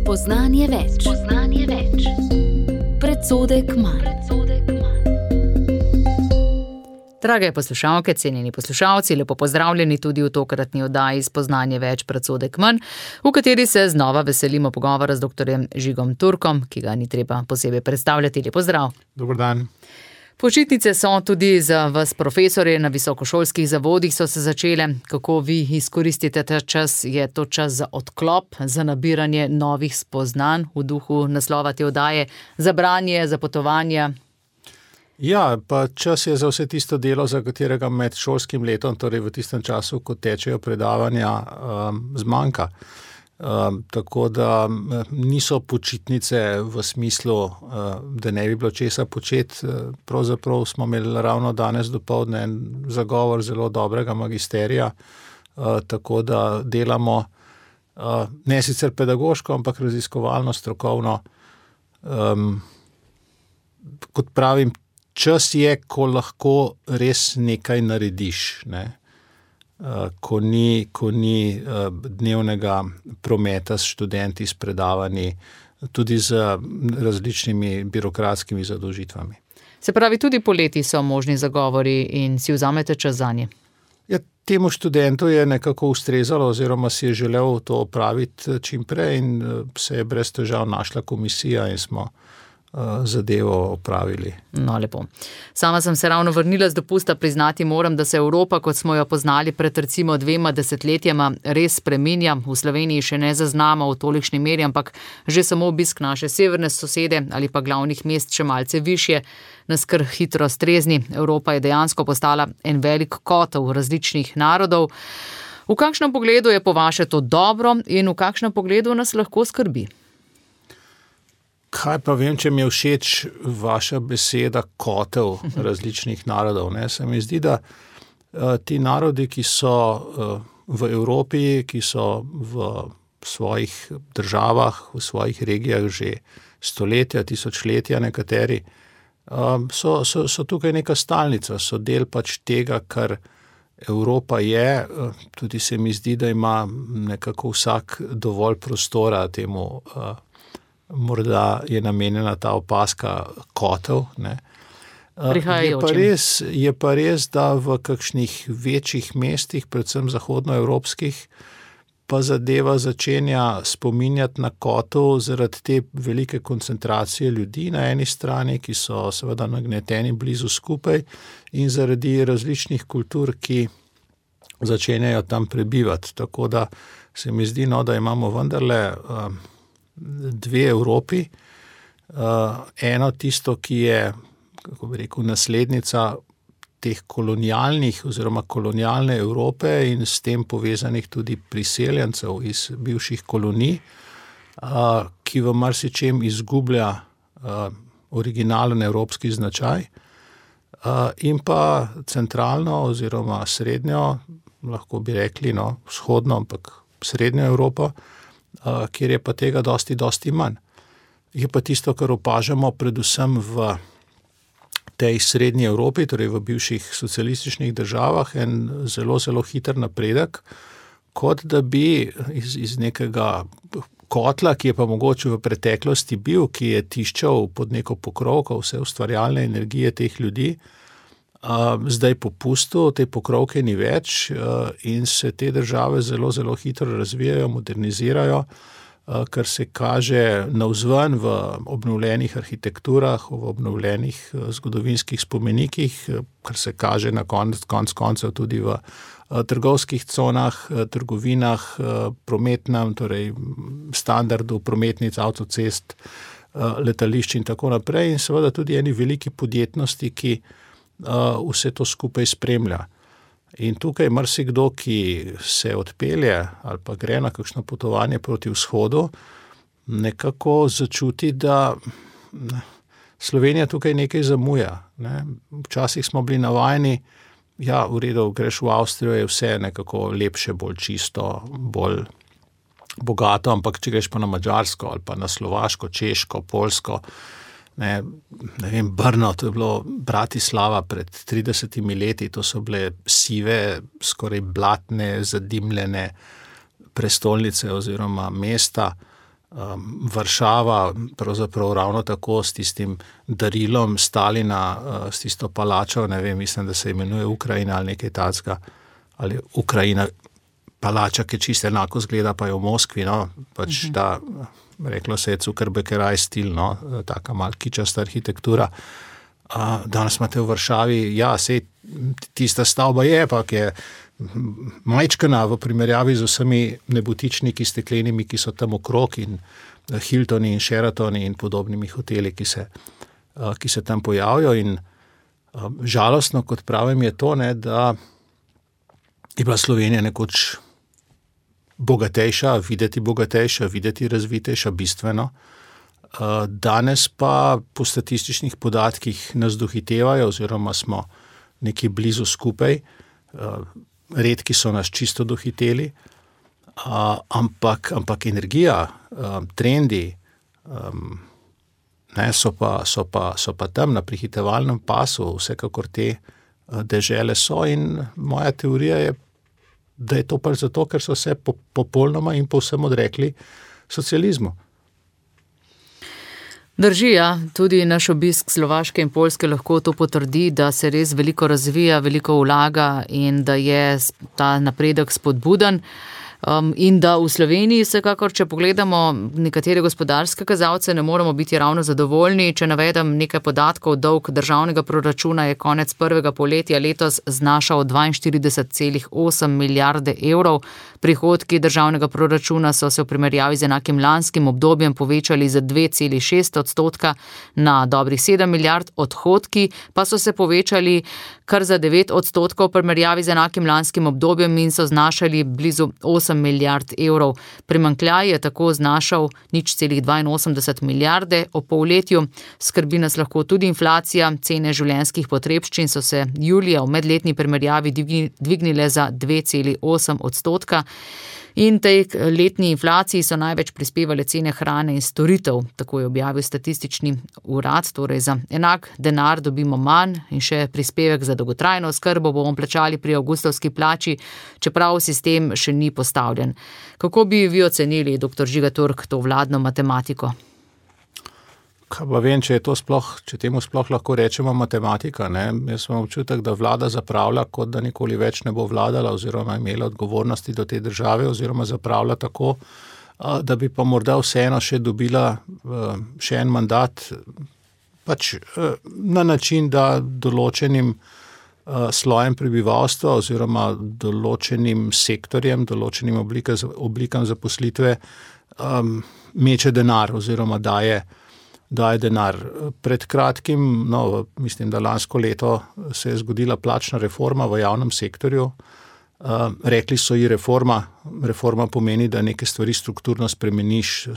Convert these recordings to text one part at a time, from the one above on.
Spoznanje več. Predsodek manj. Drage poslušalke, cenjeni poslušalci, lepo pozdravljeni tudi v tokratni oddaji Spoznanje več, predsodek manj, v kateri se znova veselimo pogovora z dr. Žigom Turkom, ki ga ni treba posebej predstavljati. Lep pozdrav. Dober dan. Počitnice so tudi za vas profesorje na visokošolskih zavodih so se začele. Kako vi izkoristite ta čas? Je to čas za odklop, za nabiranje novih spoznanj v duhu naslova te oddaje, za branje, za potovanja? Ja, pa čas je za vse tisto delo, za katerega med šolskim letom, torej v tistem času, ko tečejo predavanja, zmanjka. Tako da niso počitnice v smislu, da ne bi bilo česa početi. Pravzaprav smo imeli ravno danes dopoldne en zagovor zelo dobrega magisterija, tako da delamo ne sicer pedagoško, ampak raziskovalno, strokovno. Kot pravim, čas je, ko lahko res nekaj narediš, ne? Ko ni dnevnega prometa s študenti, s predavanji, tudi z različnimi birokratskimi zadolžitvami. Se pravi, tudi poleti so možni zagovori in si vzamete čas zanje? Ja, temu študentu je nekako ustrezalo oziroma si je želel to opraviti čim prej in se je brez težav našla komisija in smo zadevo opravili. No, lepo. Sama sem se ravno vrnila z dopusta, priznati moram, da se Evropa, kot smo jo poznali pred recimo 2 desetletjema, res spreminja. V Sloveniji še ne zaznamo v tolikšni meri, ampak že samo obisk naše severne sosede ali pa glavnih mest še malce višje nas kar hitro strezni. Evropa je dejansko postala en velik kotel različnih narodov. V kakšnem pogledu je po vaše to dobro in v kakšnem pogledu nas lahko skrbi? Kaj pa vem, če mi je všeč vaša beseda kotel različnih narodov, ne? Se mi zdi, da ti narodi, ki so v Evropi, ki so v svojih državah, v svojih regijah že stoletja, tisočletja nekateri, so tukaj neka stalnica, so del pač tega, kar Evropa je. Tudi se mi zdi, da ima nekako vsak dovolj prostora temu, morda je namenjena ta opaska kotel, ne. Je pa res, da v kakšnih večjih mestih, predvsem zahodnoevropskih, pa zadeva začenja spominjati na kotel zaradi te velike koncentracije ljudi na eni strani, ki so seveda nagneteni blizu skupaj, in zaradi različnih kultur, ki začenjajo tam prebivati. Tako da se mi zdi, da imamo vendarle 2 Evropi. Eno tisto, ki je, kako bi rekel, naslednica teh kolonialnih oziroma kolonialne Evrope in s tem povezanih tudi priseljencev iz bivših kolonij, ki v marsičem izgublja originalen evropski značaj, in pa centralno oziroma srednjo, lahko bi rekli, vzhodno, ampak srednjo Evropo, kjer je pa tega dosti manj. Je pa tisto, kar opažamo predvsem v tej srednji Evropi, torej v bivših socialističnih državah, en zelo hiter napredek, kot da bi iz nekega kotla, ki je pa mogoče v preteklosti bil, ki je tiščal pod neko pokrovko vse ustvarjalne energije teh ljudi, zdaj popustil, te pokrovke ni več in se te države zelo hitro razvijajo, modernizirajo, kar se kaže navzven v obnovljenih arhitekturah, v obnovljenih zgodovinskih spomenikih, kar se kaže na konec koncev tudi v trgovskih conah, trgovinah, prometnem, torej standardu prometnic, avtocest, letališč in tako naprej, in seveda tudi eni veliki podjetnosti, ki vse to skupaj spremlja. In tukaj marsikdo, ki se odpelje ali pa gre na kakšno potovanje proti vzhodu, nekako začuti, da Slovenija tukaj nekaj zamuja, ne. Včasih smo bili navajeni, ja, v redu, greš v Avstrijo, je vse nekako lepše, bolj čisto, bolj bogato, ampak če greš pa na Madžarsko ali pa na Slovaško, Češko, Poljsko, ne vem, Brno, to je bilo Bratislava pred 30 leti, to so bile sive, skoraj blatne, zadimljene prestolnice oziroma mesta, Varšava pravzaprav ravno tako s tistim darilom Stalina, s tisto palačo, ne vem, mislim, da se imenuje Ukrajina ali nekaj takega, ali Ukrajina palača, ki čisto enako zgleda, pa je v Moskvi, no, pač ta, reklo se je Zuckerbergeraj stil, no, taka mal kičasta arhitektura. Danes imate v Varšavi, ja, sej tista stavba je, pa je majčkana v primerjavi z vsemi nebotičniki steklenimi, ki so tam okrog in Hiltoni in Sheratoni in podobnimi hoteli, ki se tam pojavijo in žalostno, kot pravim, je to, ne, da je bila Slovenija nekoč bogatejša, videti razvitejša, bistveno. Danes pa po statističnih podatkih nas dohitevajo oziroma smo nekje blizu skupaj. Redki so nas čisto dohiteli, ampak energija, trendi so pa tam na prihitevalnem pasu, vsekakor te dežele so in moja teorija je, da je to pač zato, ker so se popolnoma in povsem odrekli socializmu. Drži, ja, tudi naš obisk Slovaške in Poljske lahko to potrdi, da se res veliko razvija, veliko vlaga in da je ta napredek spodbuden. In da v Sloveniji vsekakor, če pogledamo nekatere gospodarske kazalce, ne moramo biti ravno zadovoljni. Če navedem nekaj podatkov, dolg državnega proračuna je konec prvega polletja letos znašal 42,8 milijarde evrov. Prihodki državnega proračuna so se v primerjavi z enakim lanskim obdobjem povečali za 2,6% na dobrih 7 milijard, odhodki pa so se povečali kar za 9% v primerjavi z enakim lanskim obdobjem in so znašali blizu 8 milijard evrov. Primanjkljaj je tako znašal 0,82 milijarde o polletju. Skrbi nas lahko tudi inflacija, cene življenjskih potrebščin so se julija v medletni primerjavi dvignile za 2,8%. In tej letni inflaciji so največ prispevale cene hrane in storitev, tako je objavil statistični urad, torej za enak denar dobimo manj in še prispevek za dolgotrajno oskrbo bomo plačali pri avgustovski plači, čeprav sistem še ni postavljen. Kako bi vi ocenili, dr. Žiga Turk, to vladno matematiko? Kaj pa vem, če temu sploh lahko rečemo matematika, ne? Jaz imam občutek, da vlada zapravlja, kot da nikoli več ne bo vladala oziroma imela odgovornosti do te države oziroma zapravlja tako, da bi pa morda vseeno še dobila še en mandat, pač na način, da določenim slojem prebivalstva oziroma določenim sektorjem, določenim oblikam zaposlitve meče denar oziroma daje denar. Pred kratkim, mislim, da lansko leto se je zgodila plačna reforma v javnem sektorju. Rekli so ji reforma. Reforma pomeni, da neke stvari strukturno spremeniš,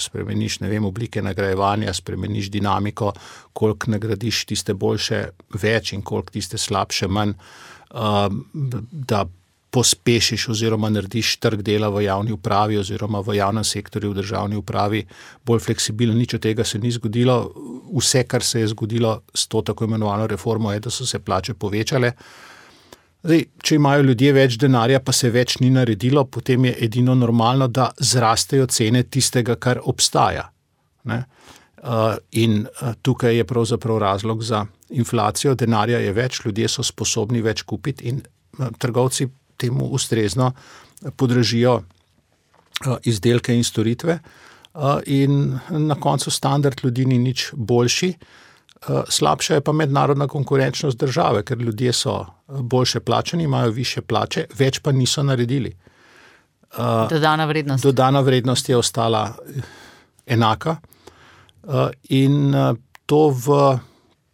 ne vem, oblike nagrajevanja, spremeniš dinamiko, koliko nagradiš tiste boljše več in koliko tiste slabše manj, da pospešiš oziroma narediš trg dela v javni upravi oziroma v javnem sektorju, v državni upravi bolj fleksibilen. Nič od tega se ni zgodilo. Vse, kar se je zgodilo s to tako imenovano reformo, je, da so se plače povečale. Zdaj, če imajo ljudje več denarja, pa se več ni naredilo, potem je edino normalno, da zrastejo cene tistega, kar obstaja. Ne? In tukaj je pravzaprav razlog za inflacijo. Denarja je več, ljudje so sposobni več kupiti in trgovci temu ustrezno podražijo izdelke in storitve in na koncu standard ljudi ni nič boljši. Slabša je pa mednarodna konkurenčnost države, ker ljudje so boljše plačani, imajo višje plače, več pa niso naredili. Dodana vrednost je ostala enaka in to v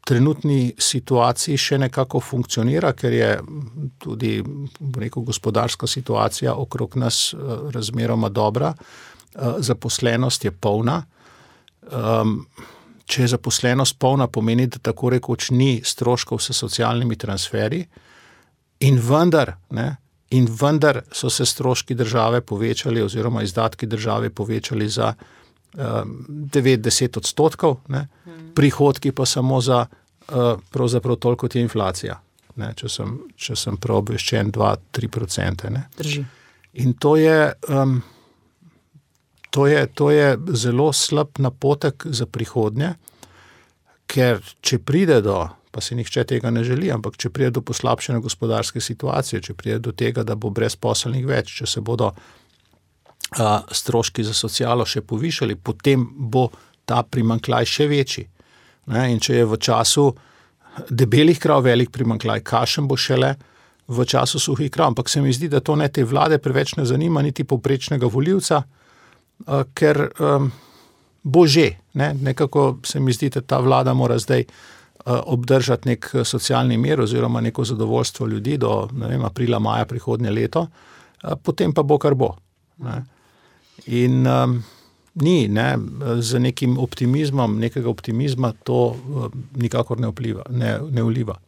trenutni situaciji še nekako funkcionira, ker je tudi gospodarska situacija okrog nas razmeroma dobra. Zaposlenost je polna. Če je zaposlenost polna, pomeni, da tako rekoč ni stroškov s socialnimi transferji in vendar so se stroški države povečali oziroma izdatki države povečali za 9-10%, ne? Prihodki pa samo za pravzaprav toliko kot je inflacija, ne? Če sem prav obveščen 2-3%. Ne? Drži. In to je To je zelo slab napotek za prihodnje, ker če pride do, pa se nihče tega ne želi, ampak če pride do poslabšene gospodarske situacije, če pride do tega, da bo brezposelnih več, če se bodo stroški za socialo še povišali, potem bo ta primanjkljaj še večji. In če je v času debelih krav velik primanjkljaj, kakšen bo šele v času suhih krav. Ampak se mi zdi, da to ne te vlade preveč ne zanima, niti povprečnega volivca, ker bo že. Nekako se mi zdi, da ta vlada mora zdaj obdržati nek socialni mir oziroma neko zadovoljstvo ljudi do aprila, maja prihodnje leto, potem pa bo, kar bo. In z nekim optimizmom, nekega optimizma to nikakor ne vliva.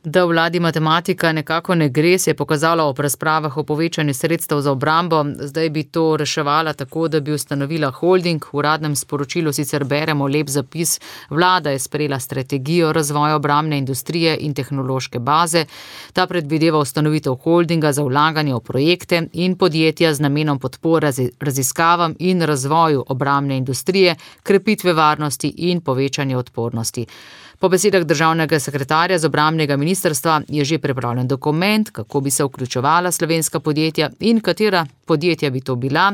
Da v vladi matematika nekako ne gre, se je pokazalo ob razpravah o povečanju sredstev za obrambo. Zdaj bi to reševala tako, da bi ustanovila holding. V uradnem sporočilu sicer beremo lep zapis. Vlada je sprejela strategijo razvoja obrambne industrije in tehnološke baze. Ta predvideva ustanovitev holdinga za vlaganje v projekte in podjetja z namenom podpore raziskavam in razvoju obrambne industrije, krepitve varnosti in povečanje odpornosti. Po besedah državnega sekretarja z obrambnega ministrstva je že pripravljen dokument, kako bi se vključevala slovenska podjetja in katera podjetja bi to bila.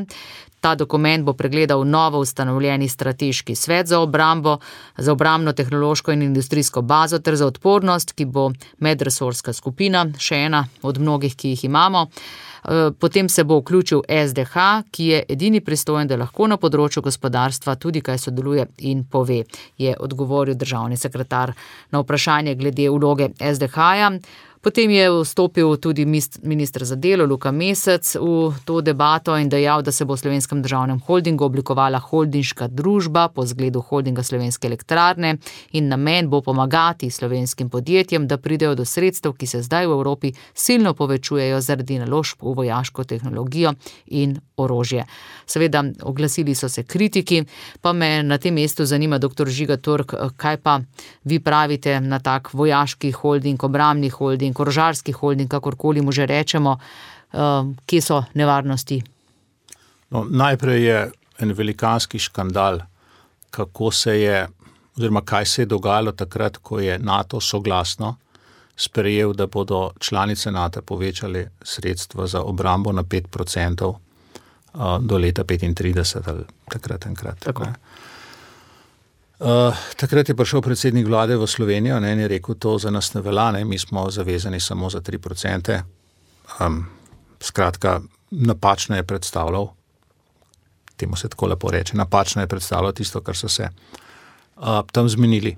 Ta dokument bo pregledal novo ustanovljeni strateški svet za obrambo, za obrambno tehnološko in industrijsko bazo ter za odpornost, ki bo medresorska skupina, še ena od mnogih, ki jih imamo. Potem se bo vključil SDH, ki je edini pristojen, da lahko na področju gospodarstva tudi kaj sodeluje in pove, je odgovoril državni sekretar na vprašanje glede vloge SDH-ja. Potem je vstopil tudi minister za delo Luka Mesec v to debato in dejal, da se bo v Slovenskem državnem holdingu oblikovala holdinška družba po zgledu holdinga Slovenske elektrarne in namen bo pomagati slovenskim podjetjem, da pridejo do sredstev, ki se zdaj v Evropi silno povečujejo zaradi naložb v vojaško tehnologijo in orožje. Seveda oglasili so se kritiki, pa me na tem mestu zanima, dr. Žiga Turk, kaj pa vi pravite na tak vojaški holding, obrambni holding, orožarski holding, kakorkoli mu že rečemo, kje so nevarnosti? Najprej je en velikanski škandal, kako se je, oziroma kaj se je dogajalo takrat, ko je NATO soglasno sprejel, da bodo članice NATO povečali sredstva za obrambo na 5% do leta 35 ali takrat enkrat. Tako. Takrat je prišel predsednik vlade v Slovenijo in je rekel, to za nas ne velja, mi smo zavezani samo za 3%. Skratka, napačno je predstavljal, temu se tako lepo reče, napačno je predstavljal tisto, kar so se tam zmenili.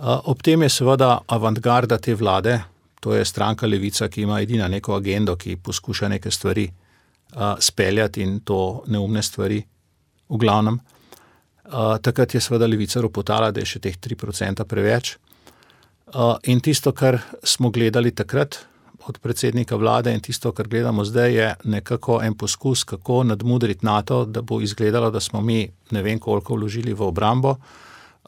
Ob tem je seveda avantgarda te vlade, to je stranka Levica, ki ima edina neko agendo, ki poskuša neke stvari speljati in to neumne stvari v glavnem. Takrat je seveda Levica ropotala, da je še teh 3% preveč. In tisto, kar smo gledali takrat od predsednika vlade in tisto, kar gledamo zdaj, je nekako en poskus, kako nadmudriti NATO, da bo izgledalo, da smo mi ne vem koliko vložili v obrambo.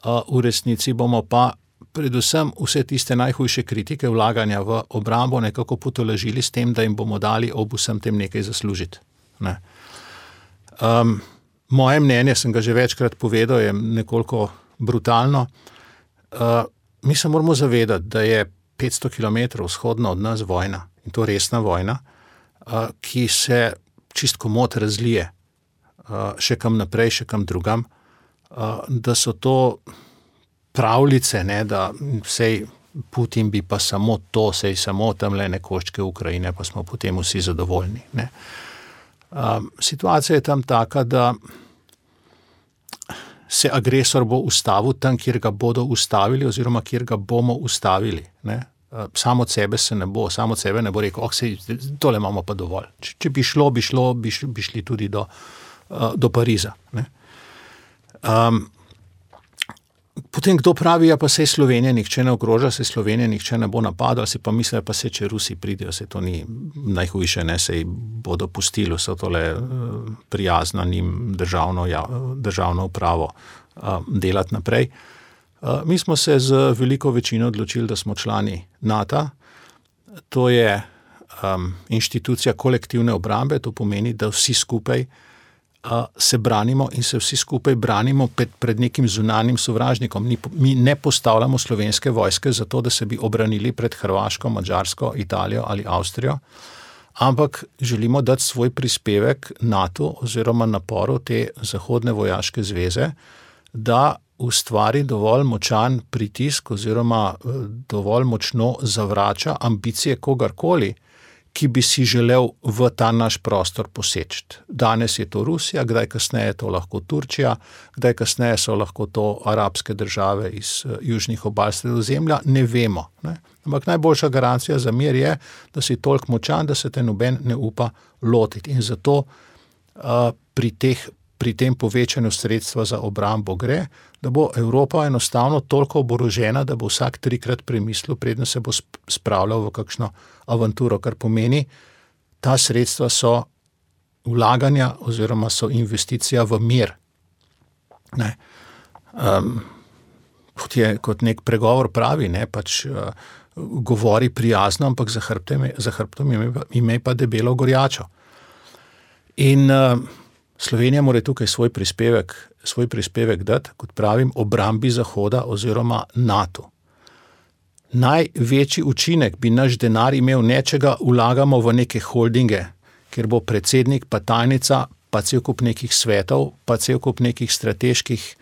V resnici bomo pa predvsem vse tiste najhujše kritike vlaganja v obrambo nekako potolažili s tem, da jim bomo dali ob vsem tem nekaj zaslužiti. Moje mnenje, sem ga že večkrat povedal, je nekoliko brutalno. Mi se moramo zavedati, da je 500 km vzhodno od nas vojna, in to resna vojna, ki se čist komot razlije še kam naprej, še kam drugam, da so to pravljice, da sej Putin bi pa samo to, sej samo tamle nekoščke Ukrajine, pa smo potem vsi zadovoljni. Situacija je tam taka, da se agresor bo ustavil tam, kjer ga bodo ustavili oziroma kjer ga bomo ustavili. Samo od sebe se ne bo, samo od sebe ne bo rekel, tole imamo pa dovolj. Če bi šli tudi do Pariza. Potem kdo pravi, pa sej Slovenija nihče ne ogroža, sej Slovenija nihče ne bo napadal, si pa misle, pa se če Rusi pridejo, se to ni najhujše, sej bodo pustili vse tole prijazno njim državno upravo delati naprej. Mi smo se z veliko večino odločili, da smo člani NATO. To je inštitucija kolektivne obrambe, to pomeni, da vsi skupaj se branimo in se vsi skupaj branimo pred nekim zunanjim sovražnikom. Mi ne postavljamo slovenske vojske zato, da se bi obranili pred Hrvaško, Madžarsko, Italijo ali Avstrijo, ampak želimo dati svoj prispevek NATO oziroma naporu te zahodne vojaške zveze, da ustvari dovolj močan pritisk oziroma dovolj močno zavrača ambicije kogarkoli, ki bi si želel v ta naš prostor poseči. Danes je to Rusija, kdaj kasneje je to lahko Turčija, kdaj kasneje so lahko to arabske države iz južnih obal Sredozemlja, ne vemo. Ne? Ampak najboljša garancija za mir je, da si toliko močan, da se te noben ne upa lotiti. In zato pri tem povečanju sredstva za obrambo gre, da bo Evropa enostavno toliko oborožena, da bo vsak 3-krat premislil, preden se bo spravljal v kakšno avanturo, kar pomeni, ta sredstva so vlaganja oziroma so investicija v mir. Ne. Kot nek pregovor pravi, ne, pač govori prijazno, ampak za hrbtom ime pa debelo gorjačo. In Slovenija mora tukaj svoj prispevek dati, kot pravim, obrambi Zahoda oziroma NATO. Največji učinek bi naš denar imel nečega, vlagamo v neke holdinge, kjer bo predsednik, pa tajnica, pa cel kup nekih svetov, pa cel kup nekih strateških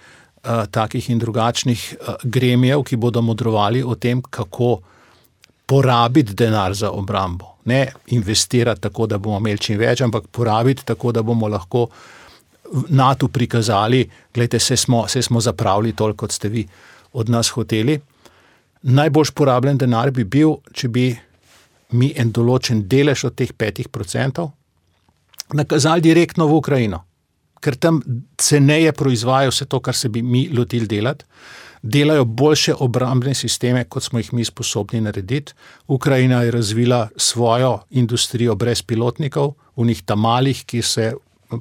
takih in drugačnih gremijev, ki bodo modrovali o tem, kako porabiti denar za obrambo. Ne investirati tako, da bomo imeli čim več, ampak porabiti tako, da bomo lahko NATO prikazali, gledajte, se smo zapravili toliko, kot ste vi od nas hoteli. Najbolj porabljen denar bi bil, če bi mi en določen delež od teh 5% nakazali direktno v Ukrajino, ker tam ceneje proizvajajo vse to, kar se bi mi lotili delati, delajo boljše obrambne sisteme, kot smo jih mi sposobni narediti. Ukrajina je razvila svojo industrijo brez pilotnikov, v njih tamalih, ki se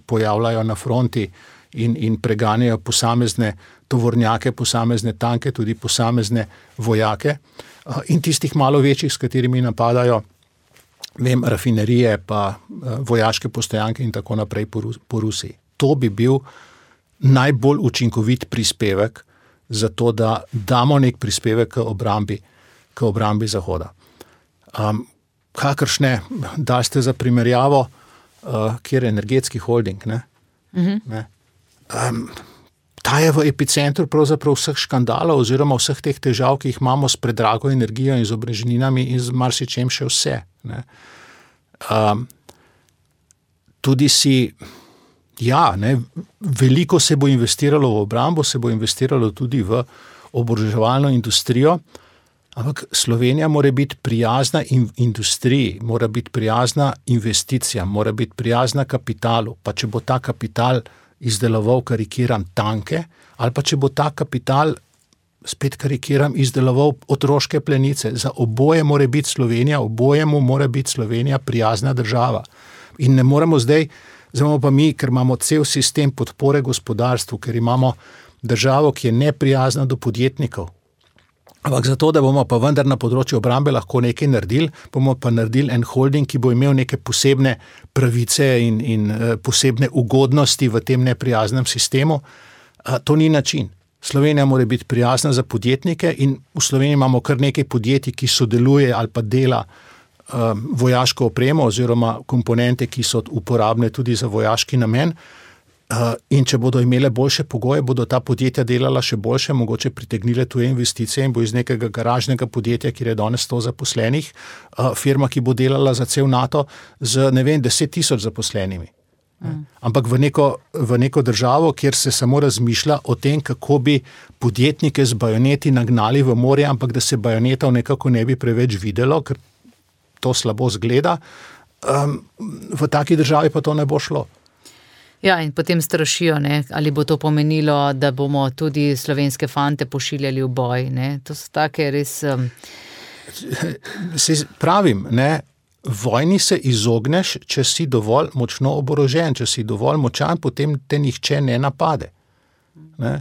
pojavljajo na fronti in preganjajo posamezne tovornjake, posamezne tanke, tudi posamezne vojake in tistih malo večjih, s katerimi napadajo rafinerije, pa vojaške postojanke in tako naprej po Rusiji. To bi bil najbolj učinkovit prispevek za to, da damo nek prispevek k obrambi Zahoda. Kakršne, dali ste za primerjavo, kjer je energetski holding, ne? Ne? Ta je v epicentru pravzaprav vseh škandalov oziroma vseh teh težav, ki jih imamo s predrago energijo in z obrežninami in z marsičem še vse. Ne? Tudi veliko se bo investiralo v obrambo, se bo investiralo tudi v oboroževalno industrijo, ampak Slovenija mora biti prijazna industriji, mora biti prijazna investicijam, mora biti prijazna kapitalu, pa če bo ta kapital izdeloval, karikiram, tanke, ali pa če bo ta kapital, spet karikiram, izdeloval otroške plenice. Za oboje mora biti Slovenija, obojemu mora biti Slovenija prijazna država. In ne moremo zdaj pa mi, ker imamo cel sistem podpore gospodarstvu, ker imamo državo, ki je neprijazna do podjetnikov. Ampak zato, da bomo pa vendar na področju obrambe lahko nekaj naredili, bomo pa naredili en holding, ki bo imel neke posebne pravice in posebne ugodnosti v tem neprijaznem sistemu. To ni način. Slovenija mora biti prijazna za podjetnike in v Sloveniji imamo kar nekaj podjetij, ki sodeluje ali pa dela vojaško opremo oziroma komponente, ki so uporabne tudi za vojaški namen. In če bodo imele boljše pogoje, bodo ta podjetja delala še boljše, mogoče pritegnile tuje investicije in bo iz nekega garažnega podjetja, kjer je danes 100 zaposlenih, firma, ki bo delala za cel NATO z, 10,000 zaposlenimi. Ampak v neko državo, kjer se samo razmišlja o tem, kako bi podjetnike z bajoneti nagnali v morje, ampak da se bajonetov nekako ne bi preveč videlo, ker to slabo zgleda, v taki državi pa to ne bo šlo. Ja, in potem strašijo, ne? Ali bo to pomenilo, da bomo tudi slovenske fante pošiljali v boj. Ne? To so take res... Pravim, ne? Vojni se izogneš, če si dovolj močno oborožen, če si dovolj močan, potem te nihče ne napade. Ne?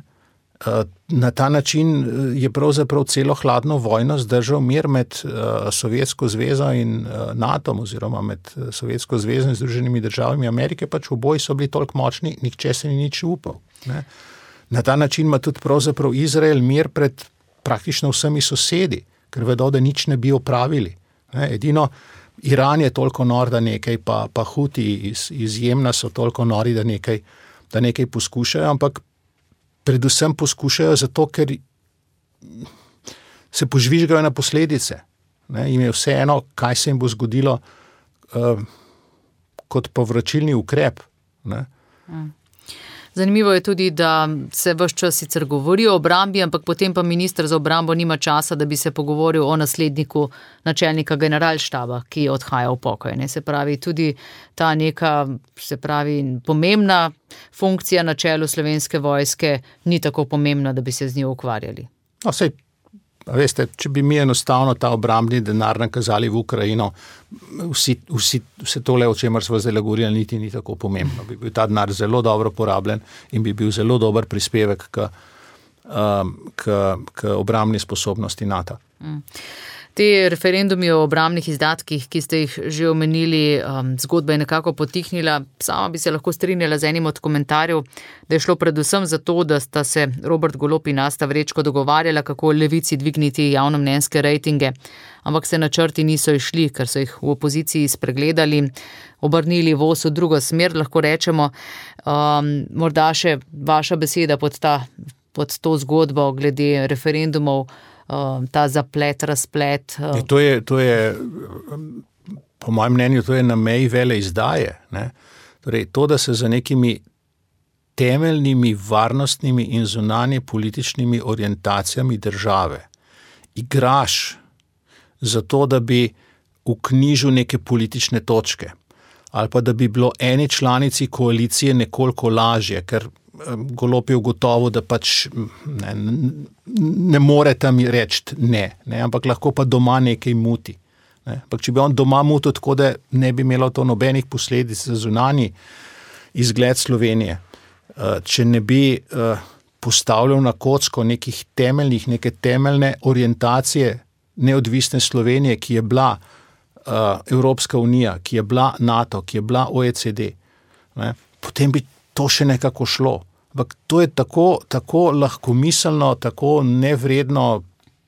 Na ta način je pravzaprav celo hladno vojno zdržal mir med Sovjetsko zvezo in NATO, oziroma med Sovjetsko zvezo in Združenimi državami Amerike, pač oboji so bili toliko močni, nihče se ni nič upal. Ne. Na ta način ima tudi pravzaprav Izrael mir pred praktično vsemi sosedi, ker vedo, da nič ne bi opravili. Ne. Edino Iran je toliko nor, da nekaj, pa Huti iz Jemna so toliko nori, da nekaj poskušajo, ampak predvsem poskušajo zato, ker se požvižgajo na posledice. Ne, jim je vseeno, kaj se jim bo zgodilo kot povračilni ukrep. Ne. Zanimivo je tudi, da se ves čas sicer govori o obrambi, ampak potem pa minister za obrambo nima časa, da bi se pogovoril o nasledniku načelnika generalštaba, ki odhaja v pokoj. Ne. Se pravi, tudi ta neka, pomembna funkcija na čelu Slovenske vojske ni tako pomembna, da bi se z njo ukvarjali. No, sej, veste, če bi mi enostavno ta obrambni denar nakazali v Ukrajino, vse tole, o čemer smo zdaj govorili, niti ni tako pomembno. Bi bil ta denar zelo dobro porabljen in bi bil zelo dober prispevek k obrambni sposobnosti NATO. Te referendumi o obrambnih izdatkih, ki ste jih že omenili, zgodba je nekako potihnila. Sama bi se lahko strinjala z enim od komentarjev, da je šlo predvsem za to, da sta se Robert Golob in Asta Vrečko dogovarjala, kako Levici dvigniti javnomnenjske rejtinge, ampak se načrti niso išli, ker so jih v opoziciji spregledali, obrnili voz v drugo smer, lahko rečemo. Morda še vaša beseda pod to zgodbo glede referendumov, ta zaplet, razplet. To je, po mojem mnenju, to je na meji veleizdaje. Ne? Torej, to, da se za nekimi temeljnimi varnostnimi in zunanje političnimi orientacijami države igraš zato, da bi vknjižil neke politične točke ali pa da bi bilo eni članici koalicije nekoliko lažje, ker Golob je ugotovil, da pač ne more tam reči ne, ampak lahko pa doma nekaj muti. Ne. Ampak če bi on doma mutil tako, da ne bi imelo to nobenih posledic za zunanji izgled Slovenije, če ne bi postavljal na kocko neke temeljne orientacije neodvisne Slovenije, ki je bila Evropska unija, ki je bila NATO, ki je bila OECD, ne, potem bi to še nekako šlo. Ampak to je tako lahkomiselno, tako nevredno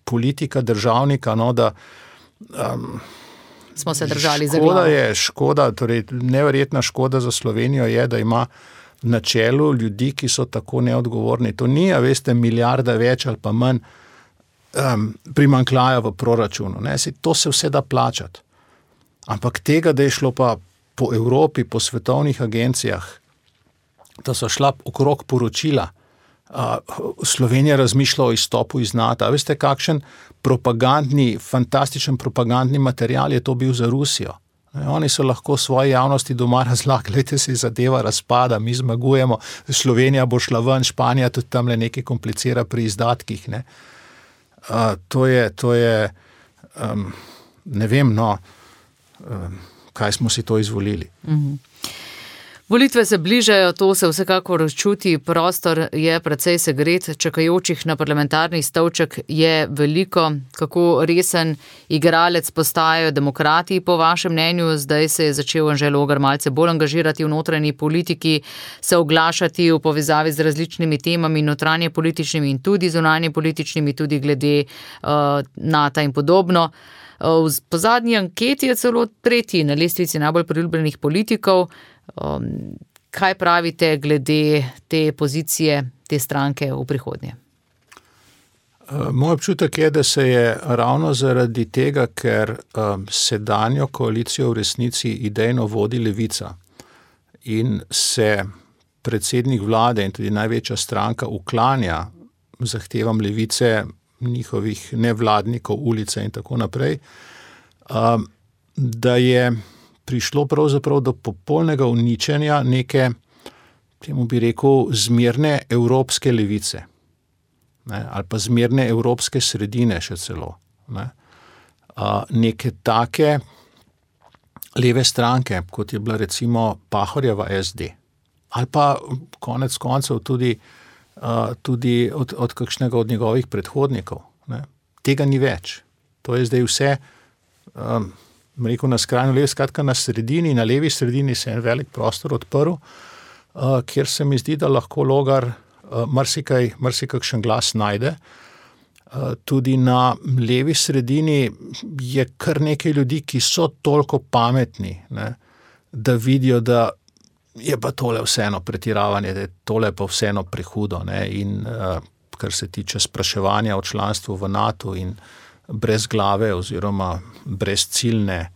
politika državnika, no, da smo se držali za glavo. Škoda, torej neverjetna škoda za Slovenijo je, da ima na čelu ljudi, ki so tako neodgovorni. To ni, veste, milijarda več ali pa manj primanjkljaja v proračunu. Ne? To se vse da plačati. Ampak tega, da je šlo pa po Evropi, po svetovnih agencijah, da so šla okrog poročila, Slovenija razmišlja o izstopu iz NATO. Veste, kakšen fantastičen propagandni material je to bil za Rusijo. Oni so lahko svoje javnosti doma razlagali, gledajte, se zadeva razpada, mi zmagujemo, Slovenija bo šla ven, Španija tudi tam le nekaj komplicira pri izdatkih. Ne, to je ne vem, kaj smo si to izvolili. Volitve se bližajo, to se vsekakor čuti, prostor je precej segret, čakajočih na parlamentarni stolček je veliko. Kako resen igralec postajajo demokrati, po vašem mnenju? Zdaj se je začel Anže Logar malce bolj angažirati v notranji politiki, se oglašati v povezavi z različnimi temami, notranje političnimi in tudi zunanje političnimi, tudi glede NATO in podobno. Po zadnji anketi je celo tretji na lestvici najbolj priljubljenih politikov. Kaj pravite glede te pozicije, te stranke v prihodnje? Moj občutek je, da se je ravno zaradi tega, ker sedanjo koalicijo v resnici idejno vodi Levica in se predsednik vlade in tudi največja stranka uklanja zahtevam Levice, njihovih nevladnikov, ulice in tako naprej, da je prišlo pravzaprav do popolnega uničenja neke, temu bi rekel, zmerne evropske levice, ne, ali pa zmerne evropske sredine še celo. Ne. Neke take leve stranke, kot je bila recimo Pahorjeva SD, ali pa konec koncev tudi tudi od kakšnega od njegovih predhodnikov. Ne. Tega ni več. To je zdaj vse, rekel na skrajno levi, skratka na sredini, na levi sredini se je en velik prostor odprl, kjer se mi zdi, da lahko Logar marsikakšen glas najde. Tudi na levi sredini je kar nekaj ljudi, ki so toliko pametni, ne, da vidijo, da je pa tole vseeno pretiravanje, da je tole pa vseeno prehudo. Ne, in kar se tiče spraševanja o članstvu v NATO in brez glave oziroma brez ciljne,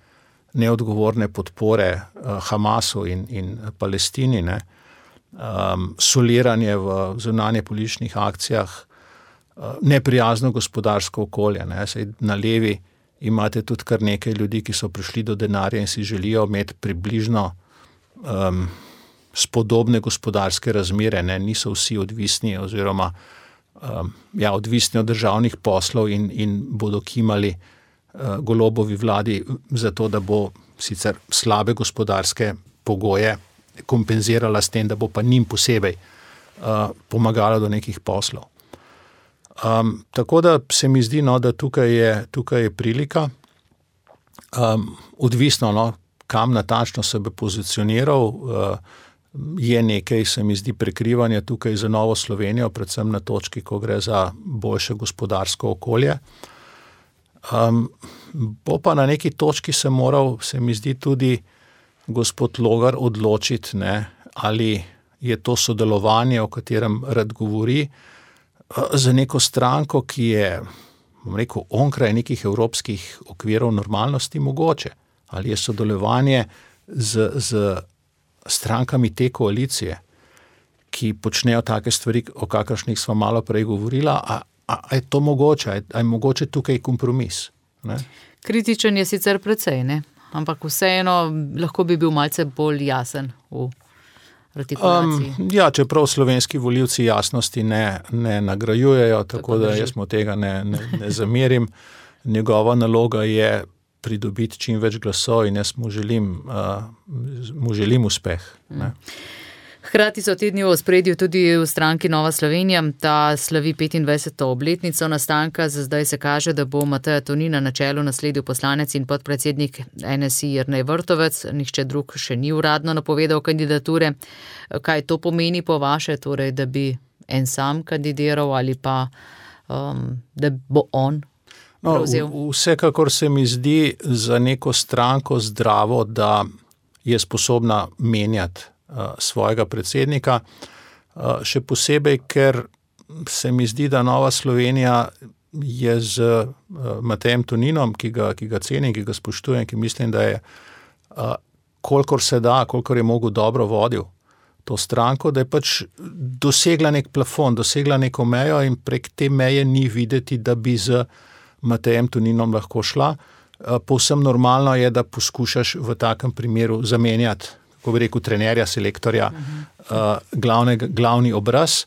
neodgovorne podpore Hamasu in Palestini, ne, soliranje v zunanje političnih akcijah, neprijazno gospodarsko okolje. Ne. Saj na levi imate tudi kar nekaj ljudi, ki so prišli do denarja in si želijo imeti približno spodobne gospodarske razmere, ne. Niso vsi odvisni oziroma odvisni od državnih poslov in bodo kimali Golobovi vladi za to, da bo sicer slabe gospodarske pogoje kompenzirala s tem, da bo pa njim posebej pomagala do nekih poslov. Tako da se mi zdi, no, da tukaj je prilika. Odvisno, kam natančno se bi pozicioniral, je nekaj, se mi zdi, prekrivanja tukaj za Novo Slovenijo, predvsem na točki, ko gre za boljše gospodarsko okolje. Bo pa na neki točki se moral, se mi zdi, tudi gospod Logar odločiti, ne, ali je to sodelovanje, o katerem rad govori, za neko stranko, ki je, bom rekel, onkraj nekih evropskih okvirov normalnosti mogoče. Ali je sodelovanje z strankami te koalicije, ki počnejo take stvari, o kakršnih smo malo prej govorila, a je to mogoče, a je mogoče tukaj kompromis? Ne? Kritičen je sicer precej, ne? Ampak vseeno lahko bi bil malce bolj jasen v artikulaciji. Čeprav slovenski volivci jasnosti ne nagrajujejo, tako da jaz mu tega ne zamerim. Njegova naloga je pridobiti čim več glasov in jaz mu želim uspeh. Ne. Hkrati so te dni v ospredju tudi v stranki Nova Slovenija, ta slavi 25. obletnico nastanka. Za zdaj se kaže, da bo Mateja Tonina na čelu nasledil poslanec in podpredsednik NSI Jernej Vrtovec. Nihče drug še ni uradno napovedal kandidature. Kaj to pomeni po vaše, torej, da bi en sam kandidiral ali pa da bo on prevzel? Vsekakor se mi zdi za neko stranko zdravo, da je sposobna menjati svojega predsednika, še posebej, ker se mi zdi, da Nova Slovenija je z Matejem Toninom, ki ga cenim, ki ga spoštujem, ki mislim, da je kolikor se da, kolikor je mogel dobro vodil to stranko, da je pač dosegla nek plafon, dosegla neko mejo in prek te meje ni videti, da bi z Matejem Toninom lahko šla. Povsem normalno je, da poskušaš v takem primeru zamenjati, ko bi rekel, trenerja, selektorja, glavni obraz.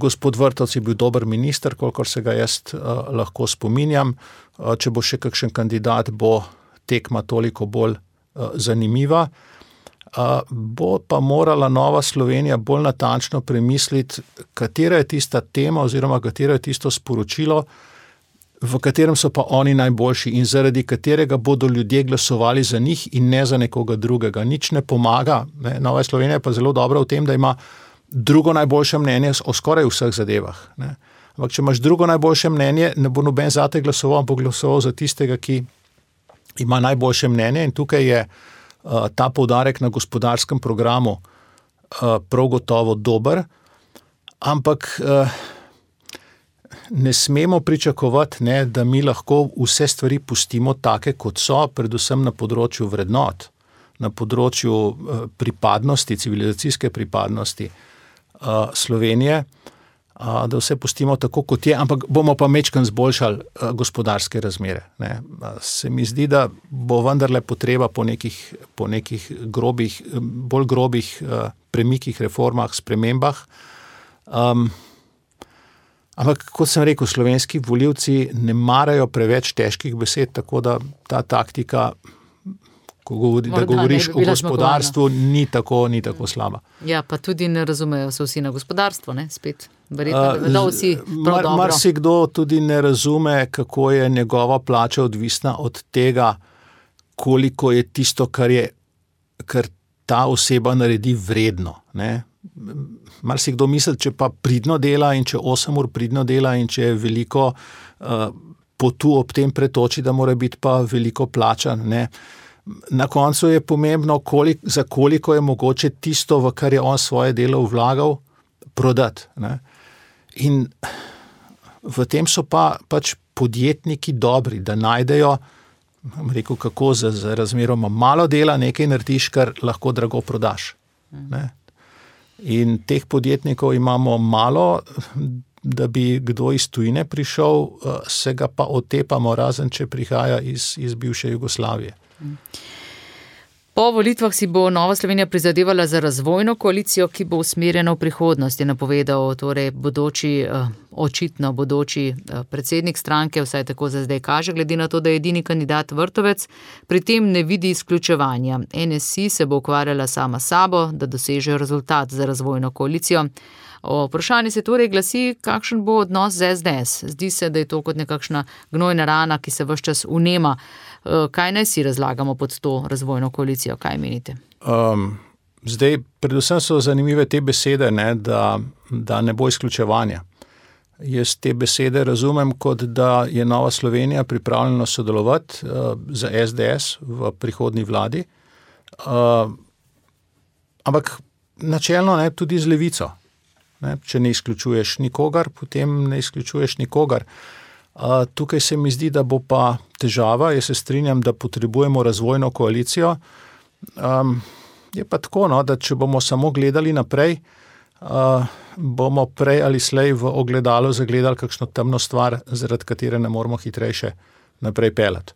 Gospod Vrtovec je bil dober minister, kolikor se ga jaz lahko spominjam. Če bo še kakšen kandidat, bo tekma toliko bolj zanimiva. Bo pa morala Nova Slovenija bolj natančno premisliti, katera je tista tema oziroma katero je tisto sporočilo, v katerem so pa oni najboljši in zaradi katerega bodo ljudje glasovali za njih in ne za nekoga drugega. Nič ne pomaga. Ne? Nova Slovenija je pa zelo dobra v tem, da ima drugo najboljše mnenje o skoraj vseh zadevah. Ne? Ampak če imaš drugo najboljše mnenje, ne bo noben zate glasoval, bo glasoval za tistega, ki ima najboljše mnenje, in tukaj je ta poudarek na gospodarskem programu prav gotovo dober, ampak ne smemo pričakovati, ne, da mi lahko vse stvari pustimo take, kot so, predvsem na področju vrednot, na področju pripadnosti, civilizacijske pripadnosti Slovenije, da vse pustimo tako, kot je, ampak bomo pa majčkeno zboljšali gospodarske razmere. Ne. Se mi zdi, da bo vendarle potreba po nekih grobih, bolj grobih premikih, reformah, spremembah. Ampak, kot sem rekel, slovenski volivci ne marajo preveč težkih besed, tako da ta taktika, da govoriš o gospodarstvu, ni tako slaba. Ja, pa tudi ne razumejo se vsi na gospodarstvo, ne, spet. Verjetno, da vsi prav dobro. Marsikdo tudi ne razume, kako je njegova plača odvisna od tega, koliko je tisto, kar ta oseba naredi vredno, ne. Marsikdo misli, če pa pridno dela in če 8 ur pridno dela in če je veliko potu ob tem pretoči, da mora biti pa veliko plačan, ne. Na koncu je pomembno, za koliko je mogoče tisto, v kar je on svoje delo vlagal, prodati, ne. In v tem so pač podjetniki dobri, da najdejo, rekel, kako za razmeroma malo dela nekaj narediš, kar lahko drago prodaš, ne. In teh podjetnikov imamo malo, da bi kdo iz tujine prišel, se ga pa otepamo, razen če prihaja iz bivše Jugoslavije. Po volitvah si bo Nova Slovenija prizadevala za razvojno koalicijo, ki bo usmerjena v prihodnost, je napovedal torej očitno bodoči predsednik stranke, vsaj tako za zdaj kaže, glede na to, da je edini kandidat Vrtovec, pri tem ne vidi izključevanja. NSI se bo ukvarjala sama sabo, da doseže rezultat za razvojno koalicijo. Vprašanje se torej glasi, kakšen bo odnos z SDS. Zdi se, da je to kot nekakšna gnojna rana, ki se ves čas vnema. Kaj naj si razlagamo pod to razvojno koalicijo? Kaj menite? Zdaj, predvsem so zanimive te besede, ne, da ne bo izključevanja. Jaz te besede razumem kot, da je Nova Slovenija pripravljena sodelovati za SDS v prihodnji vladi, ampak načelno ne, tudi z levico. Ne, če ne izključuješ nikogar, potem ne izključuješ nikogar. Tukaj se mi zdi, da bo pa težava, jaz se strinjam, da potrebujemo razvojno koalicijo. Je pa tako, no, da če bomo samo gledali naprej, bomo prej ali slej v ogledalu zagledali kakšno temno stvar, zaradi katere ne moramo hitrejše naprej peljati.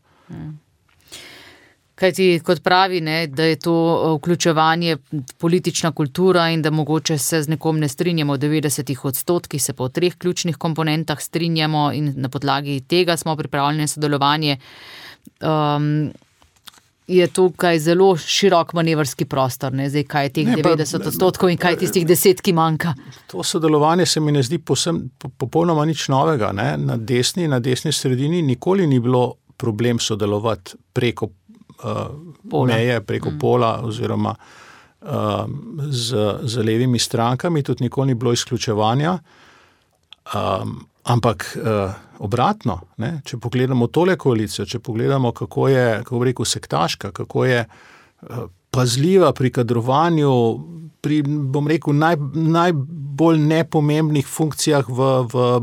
Kaj ti kot pravi, ne, da je to vključevanje politična kultura in da mogoče se z nekom ne strinjamo v 90%, se pa v 3 ključnih komponentah strinjamo in na podlagi tega smo pripravljeni sodelovanje. Je tukaj zelo širok manevrski prostor, ne, zdaj kaj je teh 90% in kaj je tistih 10, ki manjka. To sodelovanje se mi ne zdi popolnoma nič novega, ne. Na desni sredini nikoli ni bilo problem sodelovati preko meje, preko pola oziroma z levimi strankami, tudi nikoli ni bilo izključevanja, ampak obratno, ne, če pogledamo tole koalicijo, če pogledamo, kako je, kako bi rekel, sektaška, kako je pazljiva pri kadrovanju, pri, bom rekel, najbolj nepomembnih funkcijah v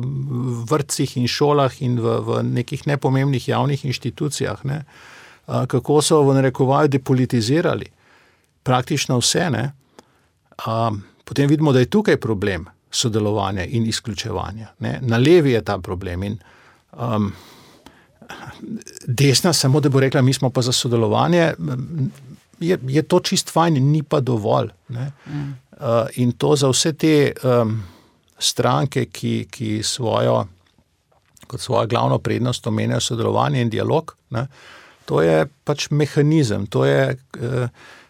vrtcih in šolah in v nekih nepomembnih javnih inštitucijah, ne, kako so v narekovaju depolitizirali praktično vse, ne. Potem vidimo, da je tukaj problem sodelovanja in izključevanja, ne. Na levi je ta problem in desna samo, da bo rekla, mi smo pa za sodelovanje, je to čist fajn, ni pa dovolj, ne. In to za vse te stranke, ki kot svojo glavno prednost omenjajo sodelovanje in dialog, ne. To je pač mehanizem, to je,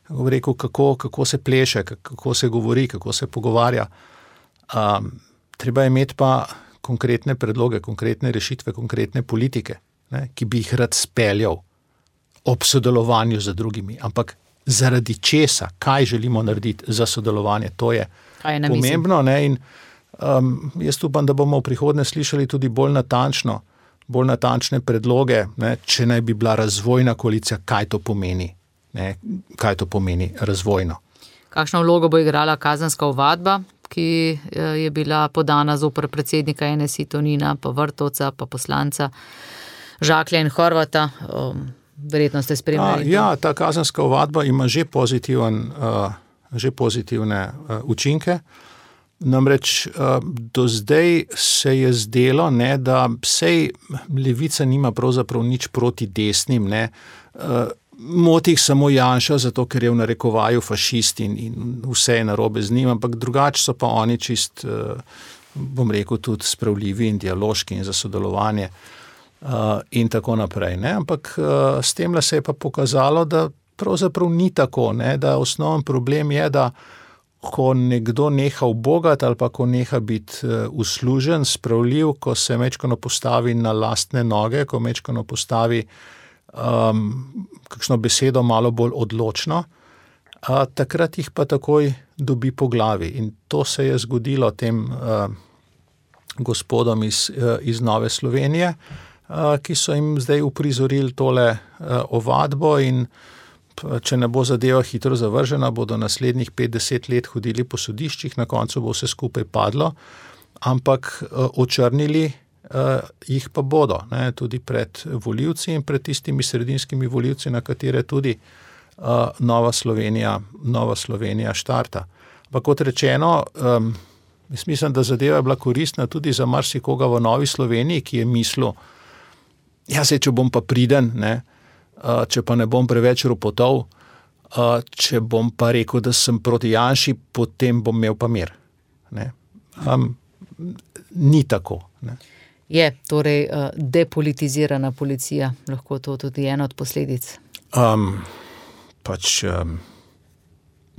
kako rekel, kako se pleše, kako se govori, kako se pogovarja. Treba je imeti pa konkretne predloge, konkretne rešitve, konkretne politike, ne, ki bi jih rad speljal ob sodelovanju z drugimi. Ampak zaradi česa, kaj želimo narediti za sodelovanje, to je pomembno, ne, in jaz upam, da bomo v prihodnje slišali tudi bolj natančne predloge, ne, če naj bi bila razvojna koalicija, kaj to pomeni, ne, kaj to pomeni razvojno. Kakšno vlogo bo igrala kazenska ovadba, ki je bila podana zoper predsednika NSI Tonina, pa Vrtovca, pa poslanca Žaklja in Horvata? Verjetno ste spremljali. Ja, ta kazenska ovadba ima že pozitivne učinke. Namreč do zdaj se je zdelo, ne, da sej levica nima pravzaprav nič proti desnim, ne, moti jih samo Janša, zato ker je v narekovaju fašist in vse je narobe z njim, ampak drugače so pa oni čist, bom rekel, tudi spravljivi in dialoški in za sodelovanje in tako naprej, ne, ampak s temle se je pa pokazalo, da pravzaprav ni tako, ne, da osnoven problem je, da ko nekdo neha ubogati ali pa ko neha biti uslužen, spravljiv, ko se mečkano postavi na lastne noge, ko mečkano postavi kakšno besedo malo bolj odločno, takrat jih pa takoj dobi po glavi. In to se je zgodilo tem gospodom iz Nove Slovenije, ki so jim zdaj uprizorili tole ovadbo in če ne bo zadeva hitro zavržena, bodo naslednjih 50 let hodili po sodiščih, na koncu bo vse skupaj padlo, ampak očrnili jih pa bodo, ne, tudi pred volivci in pred tistimi sredinskimi volivci, na katere tudi Nova Slovenija štarta. Pa kot rečeno, jaz mislim, da zadeva je bila koristna tudi za marsikoga v Novi Sloveniji, ki je mislil, če bom pa priden, ne, če pa ne bom preveč ropotov, če bom pa rekel, da sem proti Janši, potem bom imel pa mir. Ne. Ni tako. Ne. Je torej depolitizirana policija, lahko to tudi ena od posledic?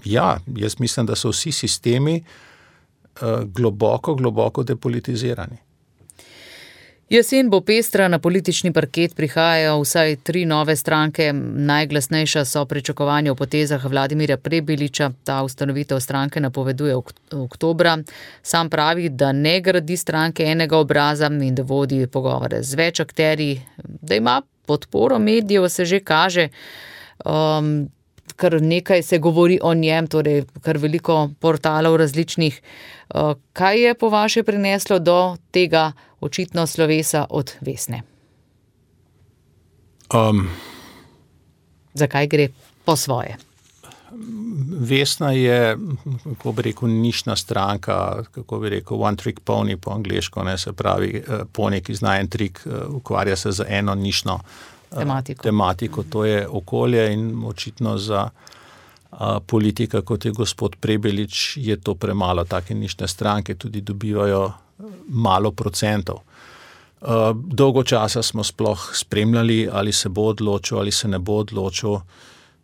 Ja, jaz mislim, da so vsi sistemi globoko depolitizirani. Jesen bo pestra, na politični parket prihajajo vsaj 3 nove stranke. Najglasnejša so pričakovanja o potezah Vladimirja Prebiliča. Ta ustanovitev stranke napoveduje oktobra. Sam pravi, da ne gradi stranke enega obraza in da vodi pogovore z več akterji, da ima podporo medijev, se že kaže. Kar nekaj se govori o njem, torej kar veliko portalov različnih. Kaj je po vaše prineslo do tega očitno slovesa od Vesne? Zakaj gre po svoje? Vesna je, kako bi rekel, nišna stranka, kako bi rekel, one trick pony po angleško, ne, se pravi, pony, ki zna en trik, ukvarja se za eno nišno tematiko, to je okolje in očitno za politika, kot je gospod Prebilič, je to premalo. Take nišne stranke tudi dobivajo malo procentov. Dolgo časa smo sploh spremljali, ali se bo odločil, ali se ne bo odločil.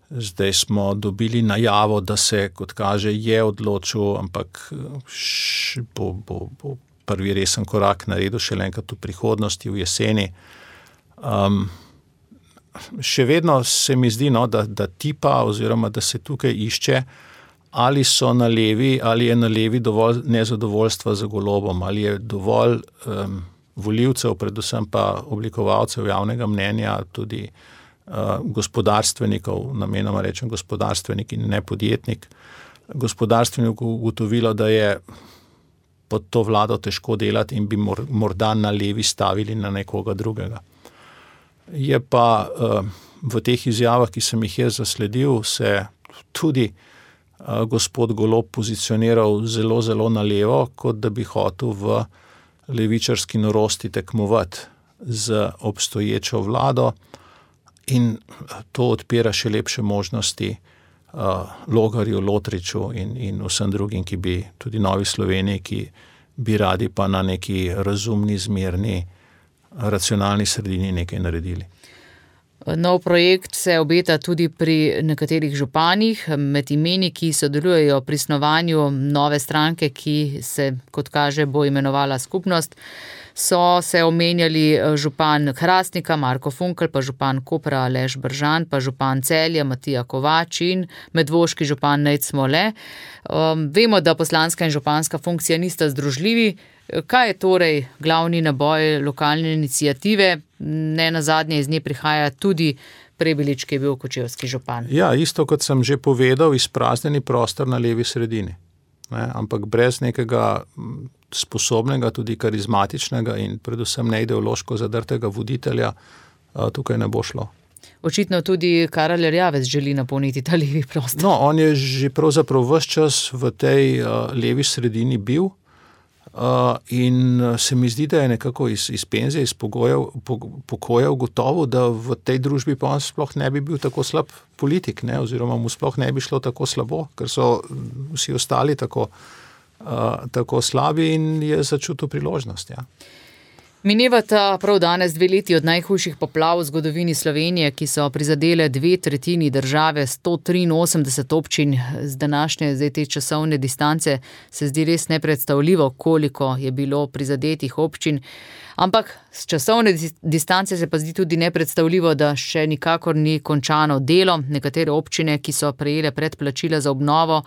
Zdaj smo dobili najavo, da se, kot kaže, je odločil, ampak bo prvi resen korak naredil šele enkrat v prihodnosti, v jeseni. Še vedno se mi zdi, da tipa oziroma da se tukaj išče, ali so na levi, ali je na levi dovolj nezadovoljstva za Golobom, ali je dovolj volivcev, predvsem pa oblikovalcev javnega mnenja, tudi gospodarstvenikov, namenoma rečem gospodarstvenik in ne podjetnik, gospodarstvenik ugotovilo, da je pod to vlado težko delati in bi morda na levi stavili na nekoga drugega. Je pa v teh izjavah, ki sem jih jaz zasledil, se tudi gospod Golob pozicioniral zelo, zelo na levo, kot da bi hotel v levičarski norosti tekmovati z obstoječo vlado in to odpira še lepše možnosti Logarju, Lotriču in vsem drugim, ki bi tudi Novi Sloveniji, ki bi radi pa na neki razumni, zmerni, racionalni sredini nekaj naredili. Nov projekt se obeta tudi pri nekaterih županih, med imeni, ki sodelujejo pri snovanju nove stranke, ki se, kot kaže, bo imenovala Skupnost. So se omenjali župan Hrastnika Marko Funkel, pa župan Kopra Aleš Bržan, pa župan Celja Matija Kovač in medvoški župan Nejc Smole. Vemo, da poslanska in županska funkcija nista združljivi. Kaj je torej glavni naboj lokalne iniciative? Ne nazadnje iz nje prihaja tudi Prebilič, ki je bil kočevski župan. Ja, isto kot sem že povedal, izpraznjeni prostor na levi sredini. Ne, ampak brez nekega sposobnega, tudi karizmatičnega in predvsem neideološko zadrtega voditelja tukaj ne bo šlo. Očitno tudi Karel Erjavec želi napolniti ta levi prostor. No, on je že pravzaprav ves čas v tej levi sredini bil in se mi zdi, da je nekako iz penzije, iz pokoja ugotovil, da v tej družbi pa on sploh ne bi bil tako slab politik, ne, oziroma mu sploh ne bi šlo tako slabo, ker so vsi ostali tako slabi in je začutil priložnost. Ja. Minevata prav danes 2 leti od najhujših poplav v zgodovini Slovenije, ki so prizadele 2/3 države, 183 občin. Z današnje te časovne distance se zdi res nepredstavljivo, koliko je bilo prizadetih občin. Ampak z časovne distance se pa zdi tudi nepredstavljivo, da še nikakor ni končano delo. Nekatere občine, ki so prejele predplačila za obnovo,